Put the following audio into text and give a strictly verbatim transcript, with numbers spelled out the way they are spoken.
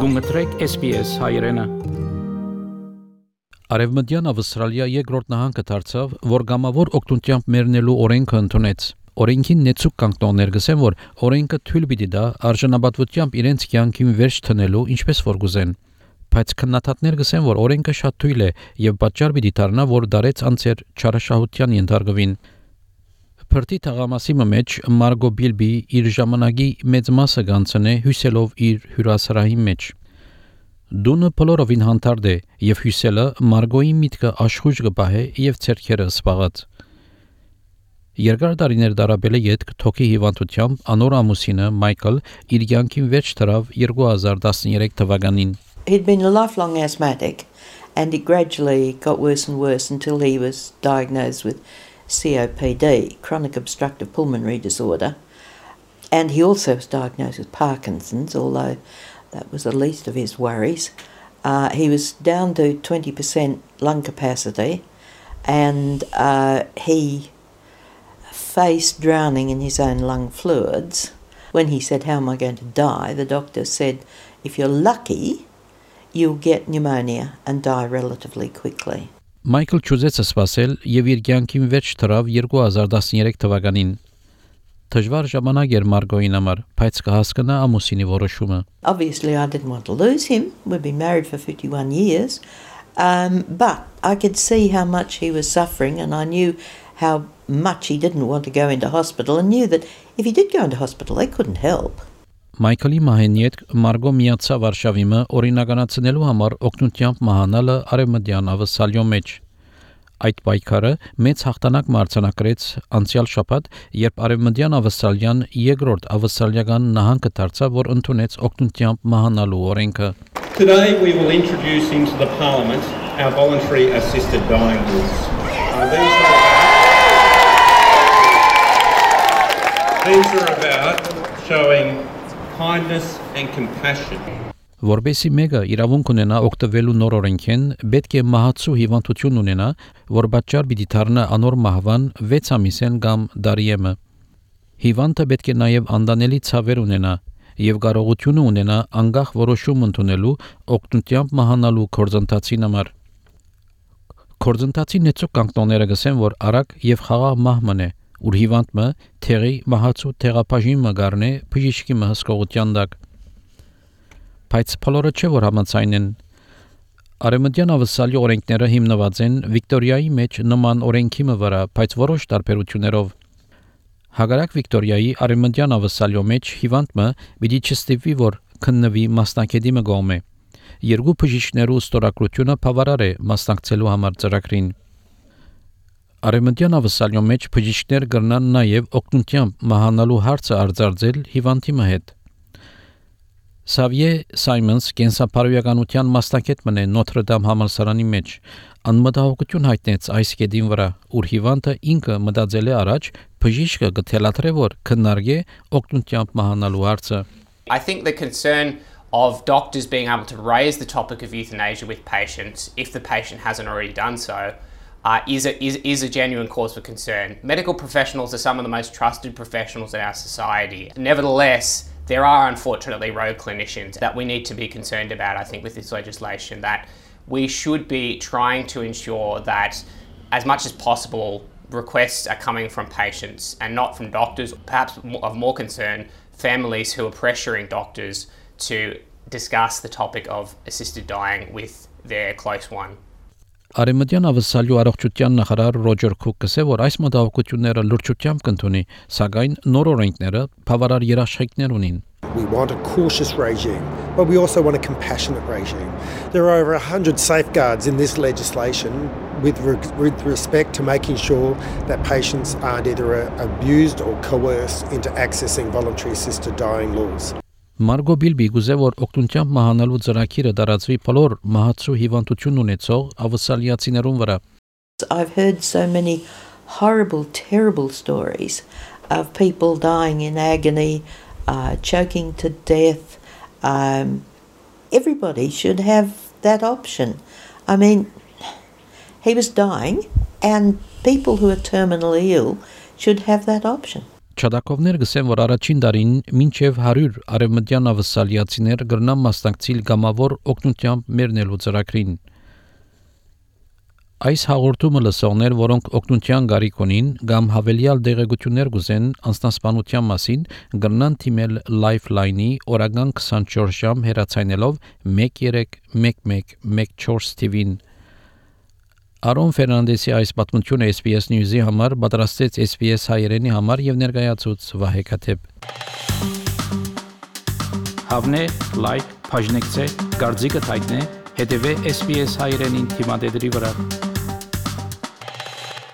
Գումտրեք S B S հայրենը։ Արևմտյան Ավստրալիա երկրորդ նահանգը դարձավ, որ գամավոր օգնությամբ մեռնելու օրենքը ընդունեց։ Օրենքին նեցուկ կանտոններ գսեն, որ օրենքը թույլ պիտի տա արժանապատվությամբ իրենց կյանքին վերջ տնելու, ինչպես որ գուզեն։ Բայց քննադատներ գսեն, որ օրենքը շատ թույլ է եւ պատճառ պիտի դառնա, որ դարեց անցեր չարաշահության ենթարկվին։ Փրտի թաղամասի մեջ Մարգո Բիլբի իր ժամանակի մեծ մասը գանցնե հյուսելով իր հյուրասրահի մեջ։ Դունը բոլորովին հանդարտ է եւ հյուսելը Մարգոյի միտքը աշխույժ կպահե եւ ցերքերը սպաղած։ Երկար տարիներ դարաբել է յետք թոքի հիվանդությամբ անոր ամուսինը Մայքլ իր կյանքին վերջ դրավ երկու հազար տասներեք թվականին։ He'd been a lifelong asthmatic and it gradually got worse and worse until he was diagnosed with C O P D, chronic obstructive pulmonary disorder, and he also was diagnosed with Parkinson's, although that was the least of his worries. Uh, he was down to twenty percent lung capacity, and uh, he faced drowning in his own lung fluids. When he said, "How am I going to die?" the doctor said, "If you're lucky, you'll get pneumonia and die relatively quickly." Մայքլ ճուզեց սպասել եւ իր կյանքին վերջ դրավ երկու հազար տասներեք թվականին։ Դժվար ժամանակ էր Մարգոյին համար, բայց կհասկանա ամուսինի որոշումը։ Obviously I didn't want to lose him. We've been married for fifty-one years. Um, but I could see how much he was suffering and I knew how much he didn't want to go into hospital and knew that if he did go into hospital they couldn't help. Մայքլի մահենիետ Մարգո միացավ Վարշավիմը օրինականացնելու համար օգնությամբ մահանալը արևմտյան Ավստրալիո մեջ։ Այդ պայքարը մեծ հաղթանակ մարտանակրեց անցյալ շաբաթ, երբ արևմտյան Ավստրալիան երկրորդ ավստրալիական նահանգը դարձավ, որ ընդունեց օգնությամբ մահանալու օրենքը։ Today we will introduce into the Parliament our voluntary assisted dying rules. Uh, these, are, these are about showing kindness and compassion. Որբեսի մեկը իրավունք ունենա օգտվելու նոր օրենքեն, պետք է մահացու հիվանդություն ունենա, որ պատճառ պիտի դառնա անոր մահվան վեց ամիսեն կամ դարիեմը։ Հիվանդը պետք է նաև անդանելի ցավեր ունենա եւ կարողությունը ունենա անգախ որոշում ընդունելու օգնությամբ մահանալու կորձընթացին համար։ Կորձընթացի նեցուկ կանտոնները գսեն, որ արագ եւ խաղաղ մահմն է, ուր հիվանդը թերի մահացու թերապաժին մգարնե բժիշկի հսկողության դակ։ Բայց բոլորը չէ որ համաձայն են։ Արևմտյան Ավստրալիա օրենքները հիմնված են Վիկտորիայի մեջ նման օրենքի վրա, բայց որոշ տարբերություններով։ Հակառակ Վիկտորիայի արևմտյան Ավստրալիա մեջ հիվանդը պիտի չստիպվի, որ քննվի մասնակետի մգոմե։ Երկու բժիշկներու ստորագրությունը բավարար է մասնակցելու համար ծրագրին։ Արևմտյան Ավստրալիա մեջ բժիշկներ կրնան նաև օգնությամբ մահանալու հարցը արձարծել հիվանդի հետ։ Սավիե Սայմոնս կենսապարոյականության մասնակետ մնե Նոթր Դամ համալսարանի մեջ անմտահոգություն հայտնեց այս կետին վրա, ուր հիվանդը ինքը մտածել է առաջ բժիշկը կթելադրե, որ քննարկե օգնությամբ մահանալու հարցը։ I think the concern of doctors being able to raise the topic of euthanasia with patients if the patient hasn't already done so uh, is, a, is, is a genuine cause for concern. Medical professionals are some of the most trusted professionals in our society. Nevertheless, there are unfortunately rogue clinicians that we need to be concerned about, I think, with this legislation, that we should be trying to ensure that as much as possible requests are coming from patients and not from doctors, perhaps of more concern, families who are pressuring doctors to discuss the topic of assisted dying with their close one. Արևմտյան Ավստրալիա առողջության նախարար Ռոջեր Քուկը ասել, որ այս մտահոգությունները լրջությամբ կընդունի, սակայն նոր օրենքները բավարար երաշխիքներ ունին։ We want a cautious regime, but we also want a compassionate regime. There are over one hundred safeguards in this legislation with, re- with respect to making sure that patients aren't either uh, abused or coerced into accessing voluntary assisted dying laws. Մարգո Բիլբի գուզե որ օգնությամբ մահանալու ծրագիրը տարածվի բոլոր մահացու հիվանդություն ունեցող ավստրալիացիներուն վրա։ I've heard so many horrible, terrible stories of people dying in agony, uh, choking to death. Um, everybody should have that option. I mean, he was dying and people who are terminally ill should have that option. Չադակովներ գսեն, որ առաջին դարին մինչև հարյուր արևմտյան ավսալիացիներ գրնան մասնակցիլ գամավոր օգնությամբ մերնելու ծրագրին։ Այս հաղորդումը լսողներ, որոնք օգնության գարիք ունին կամ հավելյալ դեղեցություններ գուզեն անձնասպանության մասին, գրնան թիմել Lifeline-ի օրական քսանչորս ժամ հեռացայնելով մեկ երեք մեկ մեկ մեկ չորս թիվին։ Արոն Ֆերնանդեսի այս պատմությունը S B S News-ի համար պատրաստեց S B S հայերենի համար եւ ներկայացուց Վահե Քաթեփ։ Հավնե, լայք, բաժնեկցե, դարձիկը թայտնե, հետեւե S B S հայերենին թիմադեդի վրա։